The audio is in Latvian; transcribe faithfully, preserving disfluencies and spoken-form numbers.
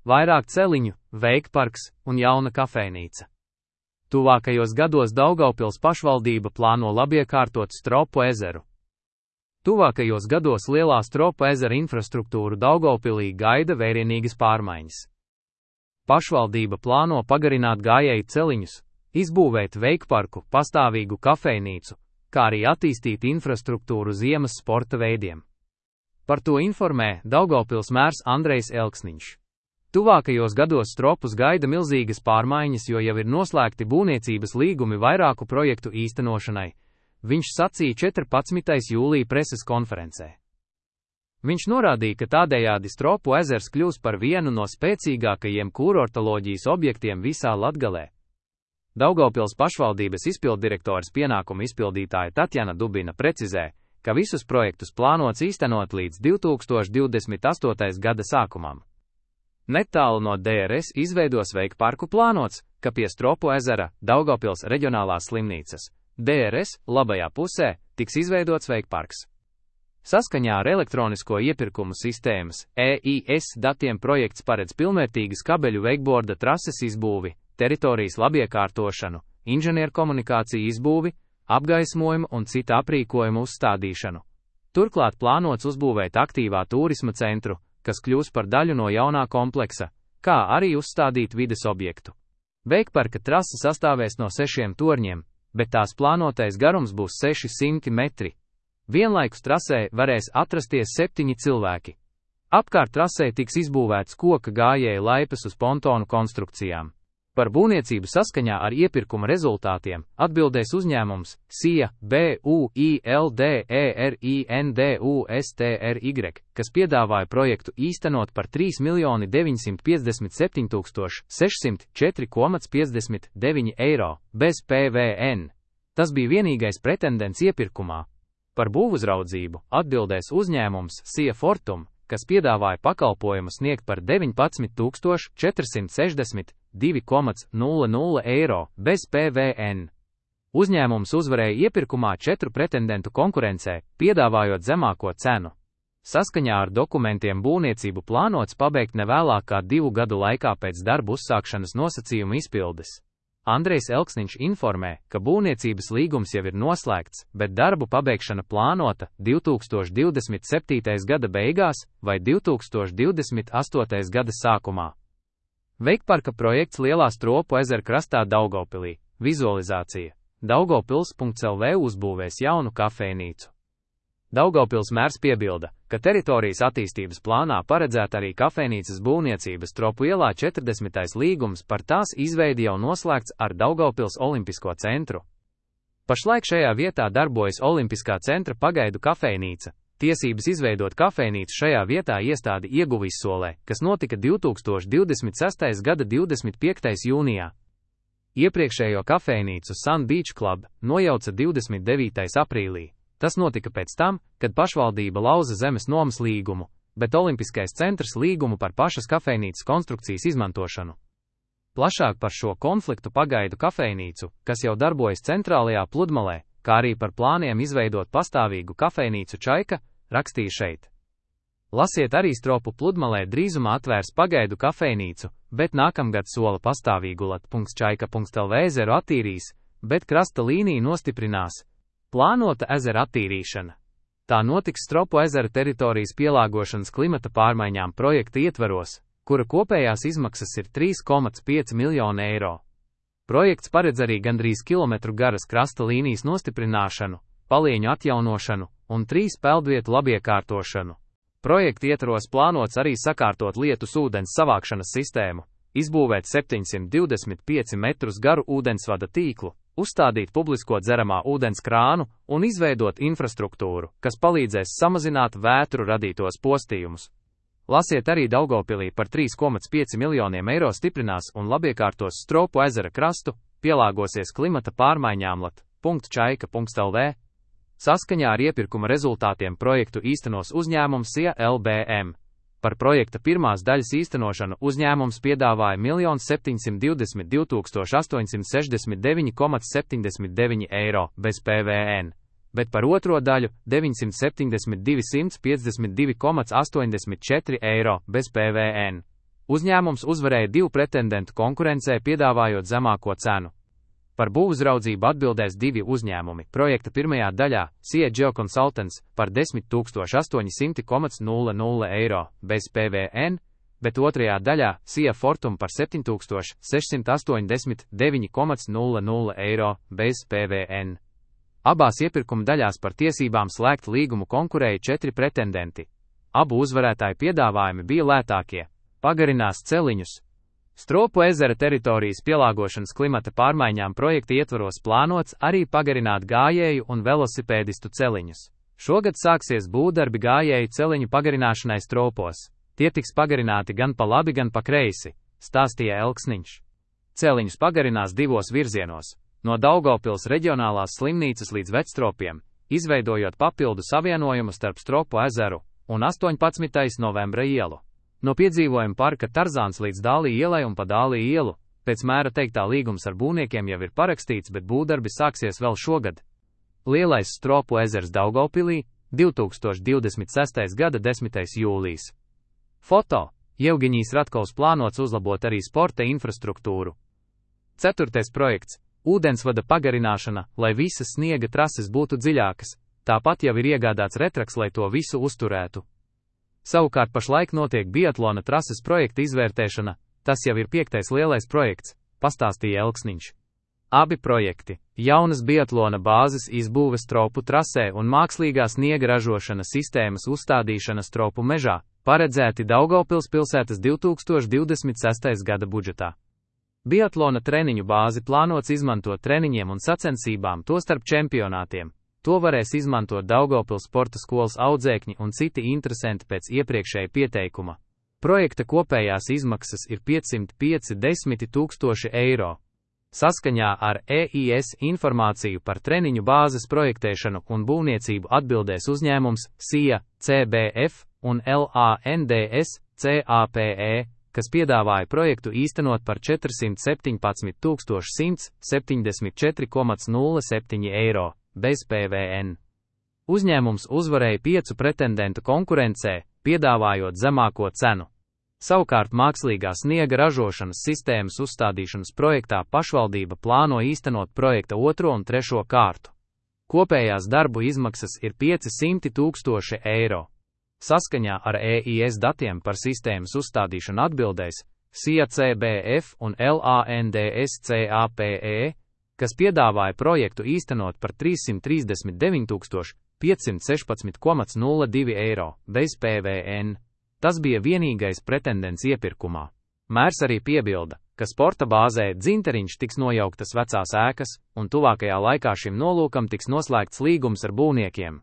vairāk celiņu, veikparks un jauna kafejnīca. Tuvākajos gados Daugavpils pašvaldība plāno labiekārtot Stropu ezeru. Tuvākajos gados lielā Stropu ezera infrastruktūru Daugavpilī gaida vērienīgas pārmaiņas. Pašvaldība plāno pagarināt gājēju celiņus, izbūvēt veikparku, pastāvīgu kafejnīcu, kā arī attīstīt infrastruktūru ziemas sporta veidiem. Par to informē Daugavpils mērs Andrejs Elksniņš. Tuvākajos gados Stropus gaida milzīgas pārmaiņas, jo jau ir noslēgti būvniecības līgumi vairāku projektu īstenošanai, viņš sacīja četrpadsmitais jūlija preses konferencē. Viņš norādīja, ka tādējādi Stropu ezers kļūs par vienu no spēcīgākajiem kurortoloģijas objektiem visā Latgalē. Daugavpils pašvaldības izpilddirektores pienākumu izpildītāja Tatjana Dubina precizē, ka visus projektus plānots īstenot līdz divi tūkstoši divdesmit astotais gada sākumam. Netālu no D R S izveidos veikparku plānots, ka pie Stropu ezera Daugavpils reģionālās slimnīcas D R S labajā pusē tiks izveidots veikparks. Saskaņā ar elektronisko iepirkumu sistēmas E I S datiem projekts paredz pilnvērtīgas kabeļu veikborda trases izbūvi, teritorijas labiekārtošanu, inženierkomunikāciju izbūvi, apgaismojumu un cita aprīkojumu uzstādīšanu. Turklāt plānots uzbūvēt aktīvā turisma centru, kas kļūs par daļu no jaunā kompleksa, kā arī uzstādīt vides objektu. Veikparka trase sastāvēs no sešiem torņiem, bet tās plānotais garums būs seši simti metri. Vienlaikus trasē varēs atrasties septiņi cilvēki. Apkārt trasē tiks izbūvēts koka gājēju laipas uz pontonu konstrukcijām. Par būvniecību saskaņā ar iepirkuma rezultātiem atbildēs uzņēmums S I A B U I L D E R I N D U S T R Y, kas piedāvāja projektu īstenot par trīs miljoni deviņsimt piecdesmit septiņi tūkstoši sešsimt četri komats piecdesmit deviņi eiro bez P V N. Tas bija vienīgais pretendents iepirkumā. Par būvuzraudzību atbildēs uzņēmums S I A Fortum, kas piedāvāja pakalpojumu sniegt par deviņpadsmit tūkstoši četrsimt sešdesmit divi komats nulle nulle eiro bez P V N. Uzņēmums uzvarēja iepirkumā četru pretendentu konkurencē, piedāvājot zemāko cenu. Saskaņā ar dokumentiem būvniecību plānots pabeigt nevēlāk kā divu gadu laikā pēc darbu uzsākšanas nosacījumu izpildes. Andrejs Elksniņš informē, ka būvniecības līgums jau ir noslēgts, bet darbu pabeigšana plānota divi tūkstoši divdesmit septītais gada beigās vai divi tūkstoši divdesmit astotais gada sākumā. Veikparka projekts Lielā Stropu ezera krastā Daugavpilī. Vizualizācija. Daugavpils punkts L V uzbūvēs jaunu kafejnīcu. Daugavpils mērs piebilda, ka teritorijas attīstības plānā paredzēta arī kafejnīcas būvniecības Stropu ielā četrdesmitais līgums par tās izveidi jau noslēgts ar Daugavpils Olimpisko centru. Pašlaik šajā vietā darbojas Olimpiskā centra pagaidu kafejnīca. Tiesības izveidot kafejnīcu šajā vietā iestāde ieguva izsolē, kas notika divi tūkstoši divdesmit sestais gada divdesmit piektais jūnijā. Iepriekšējo kafejnīcu Sun Beach Club nojauca divdesmit devītais aprīlī. Tas notika pēc tam, kad pašvaldība lauza zemes nomas līgumu, bet Olimpiskais centrs līgumu par pašas kafejnīcas konstrukcijas izmantošanu. Plašāk par šo konfliktu pagaidu kafejnīcu, kas jau darbojas centrālajā pludmalē, kā arī par plāniem izveidot pastāvīgu kafejnīcu Čaika, rakstīja šeit. Lasiet arī Stropu pludmalē drīzumā atvērs pagaidu kafejnīcu, bet nākamgad sola pastāvīgu lat punkts čaika punkts L V ezeru attīrīs, bet krasta līnija nostiprinās. Plānota ezera attīrīšana. Tā notiks Stropu ezera teritorijas pielāgošanas klimata pārmaiņām projekta ietveros, kura kopējās izmaksas ir trīs komats pieci miljoni eiro. Projekts paredz arī gandrīz kilometru garas krasta līnijas nostiprināšanu, palieņu atjaunošanu un trīs peldvietu labiekārtošanu. Projekta ietvaros plānots arī sakārtot lietus ūdens savākšanas sistēmu, izbūvēt septiņsimt divdesmit pieci metrus garu ūdensvada tīklu, uzstādīt publisko dzeramā ūdens krānu un izveidot infrastruktūru, kas palīdzēs samazināt vētru radītos postījumus. Lasiet arī Daugavpilī par trīs komats pieci miljoniem eiro stiprinās un labiekārtos Stropu ezera krastu, pielāgosies klimata pārmaiņām lat punkts čaika punkts L V. Saskaņā ar iepirkuma rezultātiem projektu īstenos uzņēmums S I A L B M. Par projekta pirmās daļas īstenošanu uzņēmums piedāvāja miljonu septiņsimt divdesmit divi tūkstoši astoņsimt sešdesmit deviņi komats septiņdesmit deviņi eiro bez P V N, bet par otro daļu deviņsimt septiņdesmit divi simti piecdesmit divi komats astoņdesmit četri eiro bez P V N. Uzņēmums uzvarēja divu pretendentu konkurencē, piedāvājot zemāko cenu. Par būvuzraudzību atbildēs divi uzņēmumi. Projekta pirmajā daļā S I A Geoconsultants par desmit tūkstoši astoņi simti eiro bez P V N, bet otrajā daļā S I A Fortum par septiņi tūkstoši sešsimt astoņdesmit deviņi eiro bez P V N. Abās iepirkuma daļās par tiesībām slēgt līgumu konkurēja četri pretendenti. Abu uzvarētāju piedāvājumi bija lētākie. Pagarinās celiņus. Stropu ezera teritorijas pielāgošanas klimata pārmaiņām projekta ietvaros plānots arī pagarināt gājēju un velosipēdistu celiņus. Šogad sāksies būvdarbi gājēju celiņu pagarināšanai stropos. Tie tiks pagarināti gan pa labi, gan pa kreisi, stāstīja Elksniņš. Celiņus pagarinās divos virzienos, no Daugavpils reģionālās slimnīcas līdz Vecstropiem, izveidojot papildu savienojumu starp Stropu ezeru un astoņpadsmitajā novembra ielu. No piedzīvojuma parka Tarzāns līdz Dālī ielai un pa Dālī ielu, pēc mēra teiktā līgums ar būvniekiem jau ir parakstīts, bet būvdarbi sāksies vēl šogad. Lielais Stropu ezers Daugavpilī, divi tūkstoši divdesmit sestā gada desmitais jūlijas. Foto. Jevgiņijs Ratkovs plānots uzlabot arī sporta infrastruktūru. Ceturtais projekts. Ūdensvada pagarināšana, lai visas sniega trases būtu dziļākas, tāpat jau ir iegādāts retraks, lai to visu uzturētu. Savukārt pašlaik notiek biatlona trases projekta izvērtēšana, tas jau ir piektais lielais projekts, pastāstīja Elksniņš. Abi projekti – jaunas biatlona bāzes izbūve Stropu trasē un mākslīgā sniega ražošanas sistēmas uzstādīšana Stropu mežā – paredzēti Daugavpils pilsētas divi tūkstoši divdesmit sestā gada budžetā. Biatlona treniņu bāzi plānots izmantot treniņiem un sacensībām, tostarp čempionātiem. To varēs izmantot Daugavpils sporta skolas audzēkņi un citi interesanti pēc iepriekšēja pieteikuma. Projekta kopējās izmaksas ir piecsimt piecdesmit tūkstoši eiro. Saskaņā ar E I S informāciju par treniņu bāzes projektēšanu un būvniecību atbildēs uzņēmums S I A, C B F un L A N D S, C A P E, kas piedāvāja projektu īstenot par četrsimt septiņpadsmit tūkstoši simts septiņdesmit četri nulle septiņi eiro. Bez P V N. Uzņēmums uzvarēja piecu pretendentu konkurencē, piedāvājot zemāko cenu. Savukārt mākslīgā sniega ražošanas sistēmas uzstādīšanas projektā pašvaldība plāno īstenot projekta otro un trešo kārtu. Kopējās darbu izmaksas ir piecsimt tūkstoši eiro. Saskaņā ar E I S datiem par sistēmas uzstādīšanu atbildēs S I A C B F un L A N D S C A P E, kas piedāvāja projektu īstenot par trīssimt trīsdesmit deviņi tūkstoši piecsimt sešpadsmit nulle divi eiro, bez P V N. Tas bija vienīgais pretendents iepirkumā. Mērs arī piebilda, ka sporta bāzē Dzinteriņš tiks nojauktas vecās ēkas, un tuvākajā laikā šim nolūkam tiks noslēgts līgums ar būvniekiem.